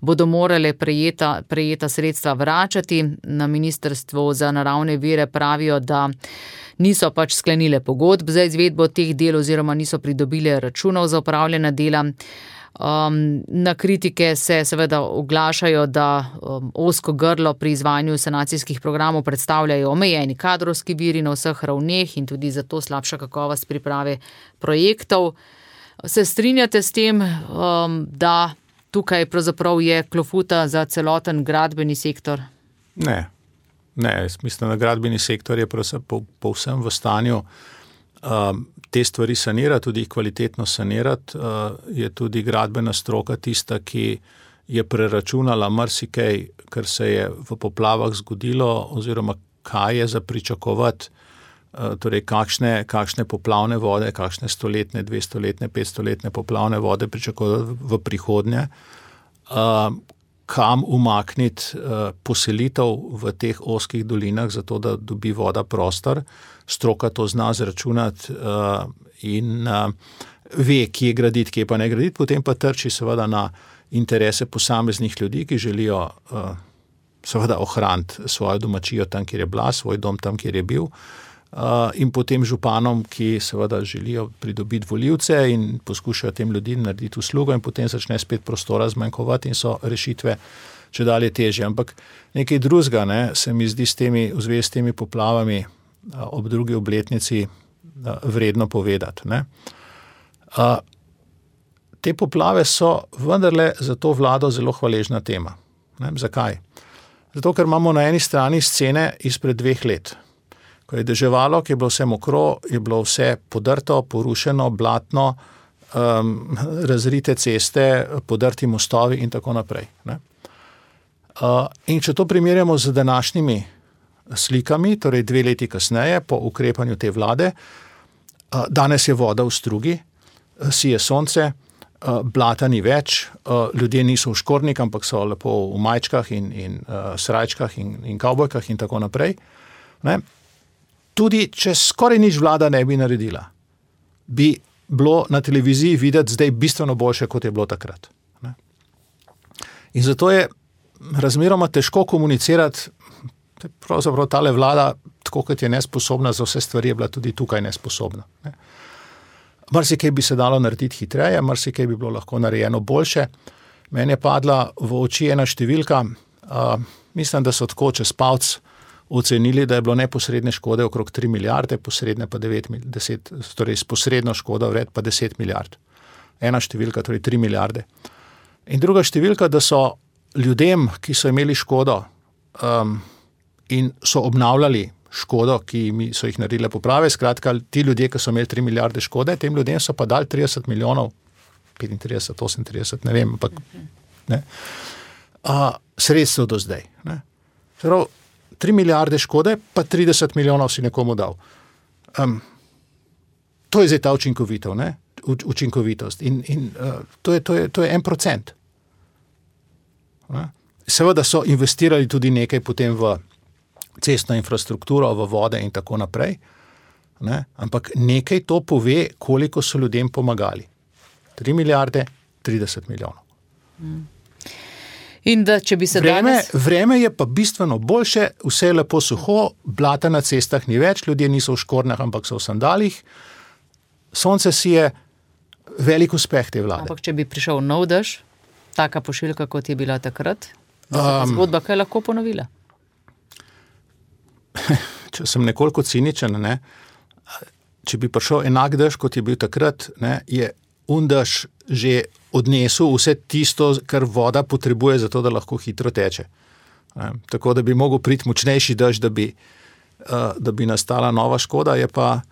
bodo morale prejeta sredstva vračati. Na Ministrstvu za naravne vire pravijo, da niso pač sklenile pogodb za izvedbo teh del oziroma niso pridobile računov za opravljena dela. Na kritike se seveda oglašajo, da ozko grlo pri izvajanju sanacijskih programov predstavljajo omejeni kadrovski viri na vseh ravneh in tudi zato slabša kakovost priprave projektov. Se strinjate s tem, da tukaj pravzaprav je klofuta za celoten gradbeni sektor? Ne, mislim, da gradbeni sektor je povsem v stanju te stvari sanirati, tudi kvalitetno sanirati. Je tudi gradbena stroka tista, ki je preračunala marsikaj, kar se je v poplavah zgodilo, oziroma kaj je za pričakovati, torej kakšne poplavne vode, kakšne 100-letne, 200-letne, 500-letne poplavne vode pričakovati v prihodnje, kam umakniti poselitev v teh ozkih dolinah, zato da dobi voda prostor. Stroka to zna zračunati in ve, kje graditi, kje pa ne graditi, potem pa trči seveda na interese posameznih ljudi, ki želijo seveda ohraniti svojo domačijo tam, kjer je bila, svoj dom tam, kjer je bil, in potem županom, ki seveda želijo pridobiti volivce in poskušajo tem ljudem narediti uslugo in potem začne spet prostora zmanjkovati in so rešitve čedalje težje. Ampak nekaj drugega, se mi zdi v zvezi s temi poplavami ob drugi obletnici vredno povedati. Te poplave so vendarle za to vlado zelo hvaležna tema. Zakaj? Zato, ker imamo na eni strani scene izpred 2 let. Ko je deževalo, ko je bilo vse mokro, je bilo vse podrto, porušeno, blatno, razrite ceste, podrti mostovi in tako naprej. In če to primerjamo z današnjimi slikami, torej 2 leti kasneje, po ukrepanju te vlade, danes je voda v strugi, sije sonce, blata ni več, ljudje niso v škornik, ampak so lepo v majčkah in srajčkah in kavbojkah in tako naprej. Tudi če skoraj nič vlada ne bi naredila, bi bilo na televiziji videti zdaj bistveno boljše, kot je bilo takrat. In zato je razmeroma težko komunicirati, pravzaprav tale vlada, tako kot je nesposobna za vse stvari, je bila tudi tukaj nesposobna. Marsikaj bi se dalo narediti hitreje, marsikaj bi bilo lahko narejeno boljše. Meni je padla v oči ena številka, mislim, da so tako čez palc ocenili, da je bilo neposredne škode okrog 3 milijarde, posredne pa 10, torej s posredno škodo vred pa 10 milijard. Ena številka, torej 3 milijarde. In druga številka, da so ljudem, ki so imeli škodo in so obnavljali škodo, ki so jih naredile poprave, skratka, ti ljudje, ki so imeli 3 milijarde škode, tem ljudem so pa dali 30 milijonov, 35, 38, ne vem, ampak sredstev do zdaj. Prav, 3 milijarde škode, pa 30 milijonov si nekomu dal. To je zdaj ta učinkovitost. In to je 1%. Seveda so investirali tudi nekaj potem v cestno infrastrukturo, v vode in tako naprej. Ampak nekaj to pove, koliko so ljudem pomagali. 3 milijarde, 30 milijonov. In da, če bi se vreme je pa bistveno boljše, vse je lepo suho, blata na cestah ni več, ljudje niso v škornjah, ampak so v sandalih. Sonce si je velik uspeh te vlade. Ampak če bi prišel nov dež, taka pošiljka, kot je bila takrat, zgodba kaj lahko ponovila? Če sem nekoliko ciničen, če bi prišel enak dež, kot je bil takrat, je dež že odnesel vse tisto, kar voda potrebuje za to, da lahko hitro teče. Tako da bi mogel priti močnejši dež, da bi nastala nova škoda, je pa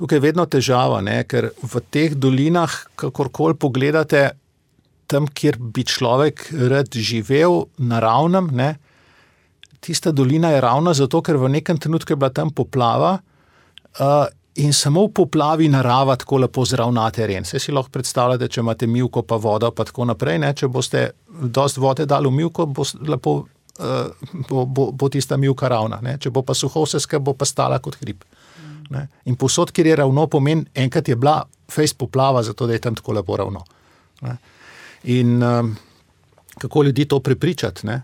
tukaj vedno težava, ker v teh dolinah, kakorkoli pogledate, tam, kjer bi človek rad živel naravnem, tista dolina je ravna zato, ker v nekem trenutku je bila tam poplava in samo v poplavi narava tako lepo zravna teren. Saj si lahko predstavljate, če imate mivko pa vodo pa tako naprej, ne? Če boste dosti vode dali v mivko, bo tista mivka ravna. Ne? Če bo pa suho vse skupaj, bo pa stala kot hrib. Ne? In povsod, kjer je ravno, pomeni, enkrat je bila fejst poplava, zato da je tam tako lepo ravno. Ne? In kako ljudi to prepričati, ne?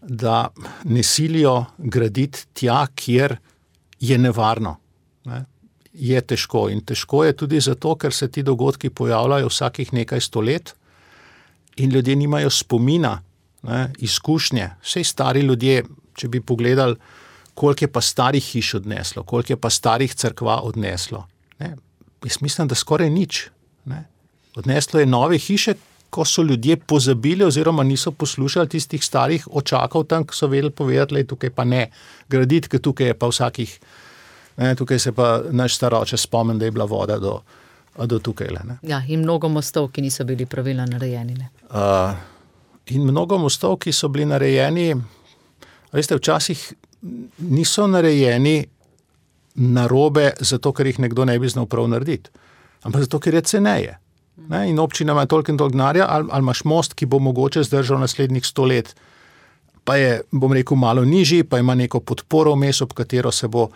Da ne silijo graditi tja, kjer je nevarno. Ne? Je težko in težko je tudi zato, ker se ti dogodki pojavljajo vsakih nekaj 100 let in ljudje nimajo spomina, ne, izkušnje. Vsej stari ljudje, če bi pogledali, koliko je pa starih hiš odneslo, koliko je pa starih cerkva odneslo. Ne? Jaz mislim, da skoraj nič. Ne? Odneslo je nove hiše, ko so ljudje pozabili oziroma niso poslušali tistih starih očakov tam, ki so vedeli povedati, tukaj pa ne graditi, ker tukaj je pa vsakih. Ne, tukaj se pa naš staroče spomni, da je bila voda do tukaj. Ne. Ja, in mnogo mostov, ki niso bili pravilno narejeni. Ne. In mnogo mostov, ki so bili narejeni, veste, včasih niso narejeni narobe zato, ker jih nekdo ne bi znal prav narediti, ampak zato, ker je ceneje. Ne, in občina ima toliko in toliko denarja, ali imaš most, ki bo mogoče zdržal naslednjih 100 let, pa je, bom rekel, malo nižji, pa ima neko podporo vmes, ob katero se bo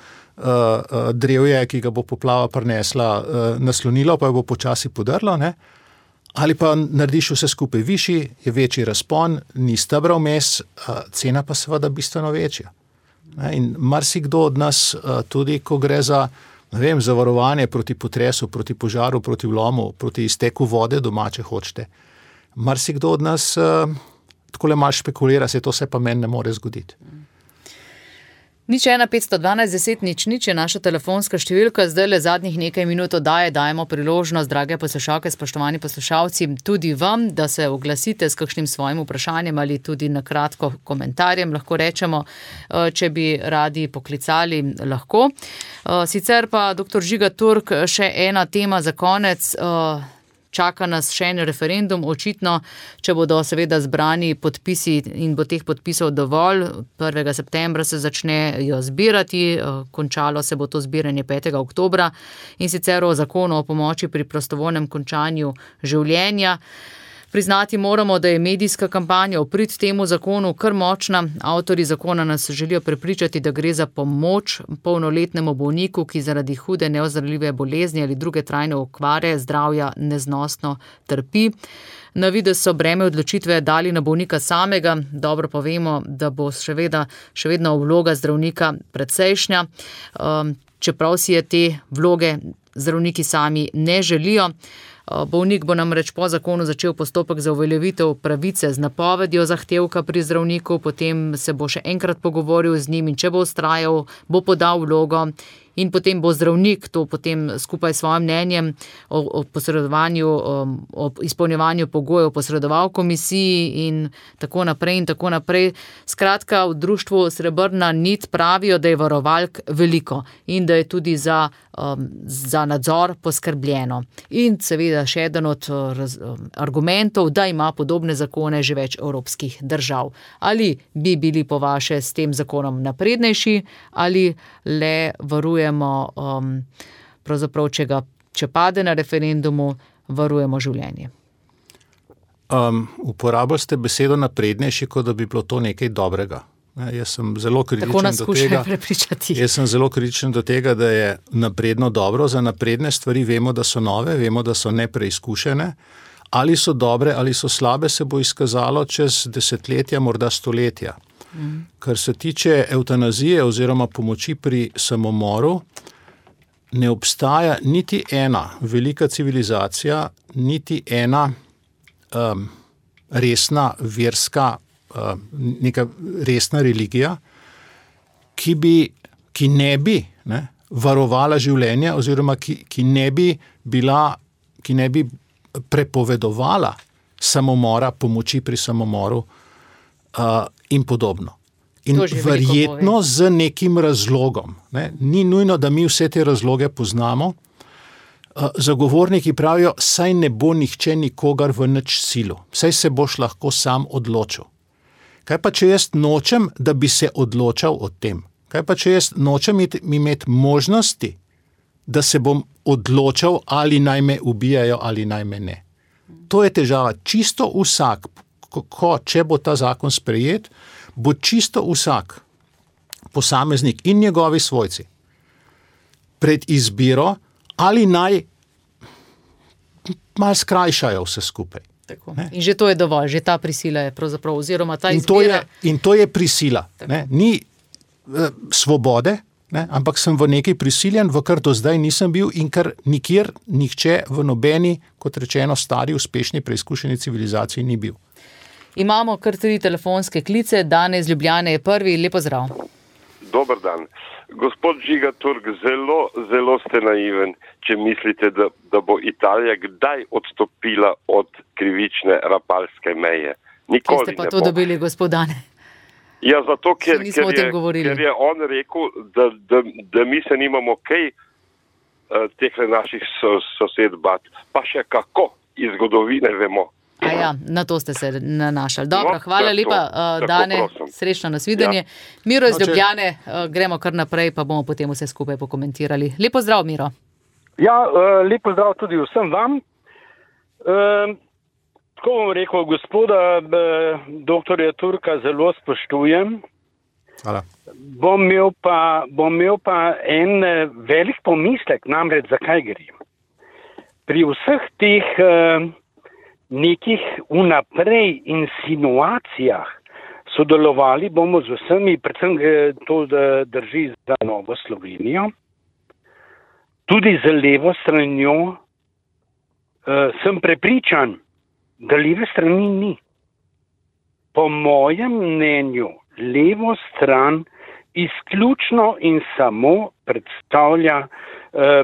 drevje, ki ga bo poplava prinesla, naslonilo, pa jo bo počasi podrlo, ne? Ali pa narediš vse skupaj višji, je večji razpon, ni stebra vmes, cena pa seveda bistveno večja. Ne? In marsikdo od nas, tudi ko gre za, ne vem, zavarovanje proti potresu, proti požaru, proti vlomu, proti izteku vode doma, če hočete, marsikdo od nas takole malo špekulira, se to se pa meni ne more zgoditi. 01 512 10 00 je naša telefonska številka, zdaj le zadnjih nekaj minut dajemo priložnost, drage poslušalke, spoštovani poslušalci, tudi vam, da se oglasite s kakšnim svojim vprašanjem ali tudi na kratko komentarjem, lahko rečemo, če bi radi poklicali, lahko. Sicer pa, dr. Žiga Turk, še ena tema za konec. Čaka nas še en referendum, očitno, če bodo seveda zbrani podpisi in bo teh podpisov dovolj. 1. septembra se začnejo zbirati, končalo se bo to zbiranje 5. oktobra in sicer o zakonu o pomoči pri prostovoljnem končanju življenja. Priznati moramo, da je medijska kampanja v prid temu zakonu kar močna. Avtorji zakona nas želijo prepričati, da gre za pomoč polnoletnemu bolniku, ki zaradi hude neozdravljive bolezni ali druge trajne okvare zdravja neznosno trpi. Na videz so breme odločitve dali na bolnika samega. Dobro pa vemo, da bo še vedno vloga zdravnika precejšnja, čeprav si je te vloge zdravniki sami ne želijo. Bolnik bo namreč po zakonu začel postopek za uveljavitev pravice z napovedjo zahtevka pri zdravniku, potem se bo še enkrat pogovoril z njim in če bo vztrajal, bo podal vlogo in potem bo zdravnik to potem skupaj s svojim mnenjem o posredovanju, o izpolnjevanju pogojev posredoval komisiji in tako naprej in tako naprej. Skratka, v društvu Srebrna nit pravijo, da je varovalk veliko in da je tudi za nadzor poskrbljeno. In seveda še eden od argumentov, da ima podobne zakone že več evropskih držav. Ali bi bili po vaše s tem zakonom naprednejši ali le varujemo, pravzaprav, če pade na referendumu, varujemo življenje? Uporabili ste besedo naprednejši, kot da bi bilo to nekaj dobrega. Jaz sem zelo kritičen tako nas skušajo prepričati. Jaz sem zelo kritičen do tega, da je napredno dobro. Za napredne stvari vemo, da so nove, vemo, da so nepreizkušene. Ali so dobre, ali so slabe, se bo izkazalo čez desetletja, morda stoletja. Kar se tiče evtanazije oziroma pomoči pri samomoru, ne obstaja niti ena velika civilizacija, niti ena resna verska, neka resna religija, ki ne bi varovala življenja oziroma ki ne bi prepovedovala samomora, pomoči pri samomoru in podobno. In verjetno z nekim razlogom. Ne? Ni nujno, da mi vse te razloge poznamo. Zagovorniki pravijo, saj ne bo nihče nikogar v nič silo. Saj se boš lahko sam odločil. Kaj pa, če jaz nočem, da bi se odločal o tem? Kaj pa, če jaz nočem imeti možnosti, da se bom odločal, ali naj me ubijajo ali naj me ne? To je težava. Čisto vsak, če bo ta zakon sprejet, bo čisto vsak posameznik in njegovi svojci pred izbiro, ali naj malo skrajšajo vse skupaj. Tako. In že to je dovolj, že ta prisila je pravzaprav, oziroma ta izbira. In to je prisila. Ni svobode, ampak sem v nekaj prisiljen, v kar do zdaj nisem bil in kar nikjer nihče v nobeni, kot rečeno, stari, uspešni, preizkušeni civilizaciji ni bil. Imamo kar 3 telefonske klice. Danes iz Ljubljane je prvi. Lep pozdrav. Dober dan. Gospod Žiga Turk, zelo ste naiven, če mislite, da bo Italija kdaj odstopila od krivične rapalske meje. Nikoli ste pa to dobili, gospodane? Ja, zato, ker je on rekel, da mi se nimamo kaj teh naših sosed bat, pa še kako iz zgodovine vemo. Ja, na to ste se nanašali. Dobro, hvala lepa, Dane, srečno nasvidenje. Ja. Miro iz Ljubljane, gremo kar naprej, pa bomo potem vse skupaj pokomentirali. Lep pozdrav, Miro. Ja, lep pozdrav tudi vsem vam. Tako bom rekel, gospoda doktorja Turka zelo spoštujem. Hvala. Bom imel pa en velik pomislek, namreč zakaj gre. Pri vseh teh nekih vnaprej insinuacijah sodelovali bomo z vsemi, predvsem to, da drži za Novo Slovenijo, tudi z levo stranjo, sem prepričan, da leve strani ni. Po mojem mnenju levo stran izključno in samo predstavlja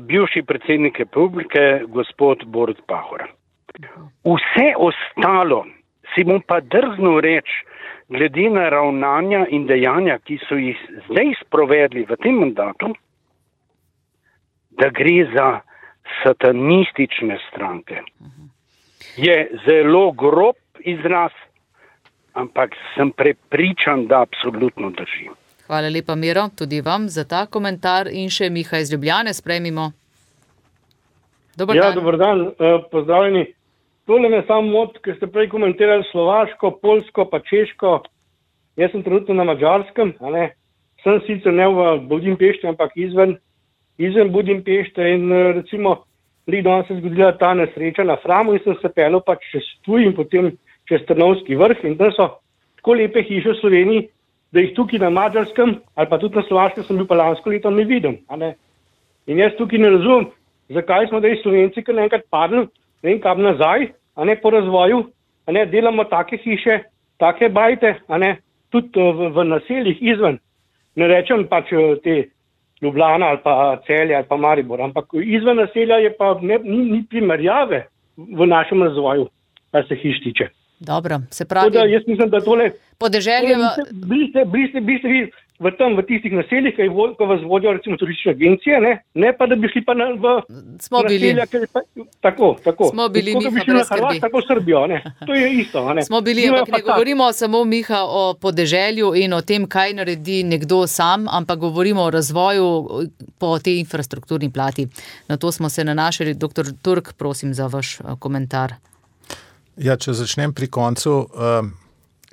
bivši predsednik republike, gospod Borut Pahor. Vse ostalo si bom pa drznil reči, glede na ravnanja in dejanja, ki so jih zdaj sprovedli v tem mandatu, da gre za satanistične stranke. Je zelo grob izraz, ampak sem prepričan, da absolutno drži. Hvala lepa, Miro, tudi vam za ta komentar. In še Miha iz Ljubljane, sprejmimo. Dobar dan. Dobar dan, pozdravljeni. Tole me samo moti, ker ste prej komentirali Slovaško, Poljsko pa Češko. Jaz sem trenutno na Madžarskem, sem sicer ne v Budimpešti, ampak izven Budimpešte in recimo danes se je zgodila ta nesreča na Framu in sem se peljal pač čez Ptuj in potem čez Trnovski vrh in tam so tako lepe hiše v Sloveniji, da jih tukaj na Madžarskem ali pa tudi na Slovaškem sem bil pa lansko leto ne vidim. In jaz tukaj ne razumem, zakaj smo zdaj Slovenci kar naenkrat padli, ne vem kam nazaj, po razvoju, delamo take hiše, take bajte, tudi v naseljih izven. Ne rečem pač te Ljubljana ali pa Celje ali pa Maribor, ampak izven naselja je pa ni primerjave v našem razvoju, kar se hiš tiče. Dobro, se pravi. Tako da jaz mislim, da tole podeželje bili ste vi v tistih naseljih, ko vas vodijo recimo turistične agencije, ne pa da bi šli pa v naselja, ker je pa tako. Smo bili, Miha, brez skrbi. Tako Srbijo, To je isto, Smo bili, ampak ne govorimo samo, Miha, o podeželju in o tem, kaj naredi nekdo sam, ampak govorimo o razvoju po tej infrastrukturni plati. Na to smo se nanašali. Doktor Turk, prosim za vaš komentar. Ja, če začnem pri koncu,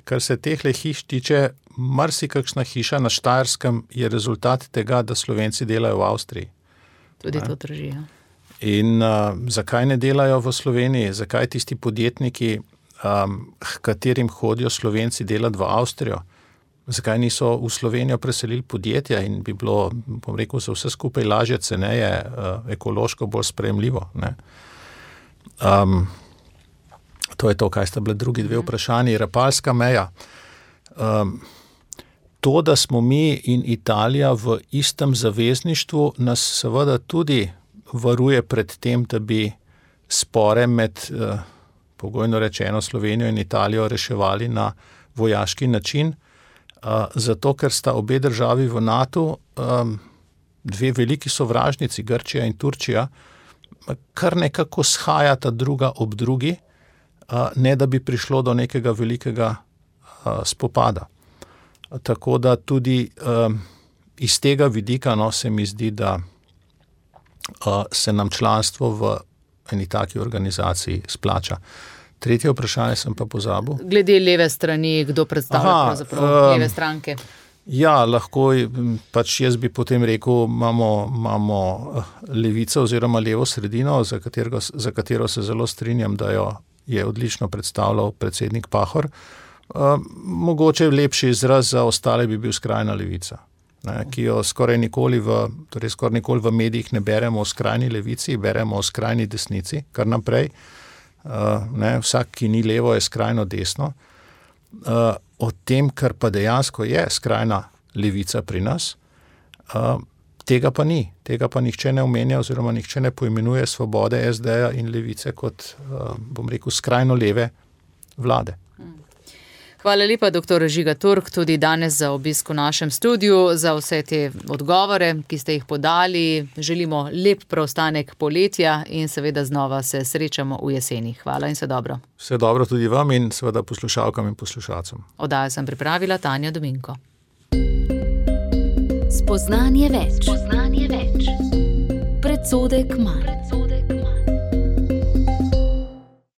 kar se tehle hiš tiče, marsikakšna hiša na Štajerskem je rezultat tega, da Slovenci delajo v Avstriji. Tudi to drži, ja. In zakaj ne delajo v Sloveniji? Zakaj tisti podjetniki, katerim hodijo Slovenci delati v Avstrijo? Zakaj niso v Slovenijo preselili podjetja in bi bilo, bom rekel, za vse skupaj lažje, ceneje, ekološko bolj sprejemljivo, To je to, kaj sta bile drugi dve vprašanji. Rapalska meja. To, da smo mi in Italija v istem zavezništvu, nas seveda tudi varuje pred tem, da bi spore med, pogojno rečeno, Slovenijo in Italijo reševali na vojaški način, zato ker sta obe državi v NATO, dve veliki sovražnici, Grčija in Turčija, kar nekako shajata druga ob drugi, ne da bi prišlo do nekega velikega spopada. Tako da tudi iz tega vidika se mi zdi, da se nam članstvo v eni taki organizaciji splača. Tretje vprašanje sem pa pozabil. Glede leve strani, kdo predstavlja pravzaprav leve stranke? Ja, lahko, pač jaz bi potem rekel, imamo levico oziroma levo sredino, za katero se zelo strinjam, da jo je odlično predstavljal predsednik Pahor. Mogoče lepši izraz za ostale bi bil skrajna levica, ki jo skoraj nikoli v medijih ne beremo o skrajni levici, beremo o skrajni desnici, kar naprej. Vsak, ki ni levo, je skrajno desno. O tem, kar pa dejansko je skrajna levica pri nas, tega pa ni. Tega pa nihče ne omenja oziroma nihče ne poimenuje Svobode, SD-ja in Levice kot, bom rekel, skrajno leve vlade. Hvala lepa, dr. Žiga Turk, tudi danes za obisk v našem studiu, za vse te odgovore, ki ste jih podali. Želimo lep preostanek poletja in seveda znova se srečamo v jeseni. Hvala in vse dobro. Vse dobro tudi vam in seveda poslušalkam in poslušalcem. Oddajo sem pripravila Tanja Dominko. Spoznanje več. Predsodek manj.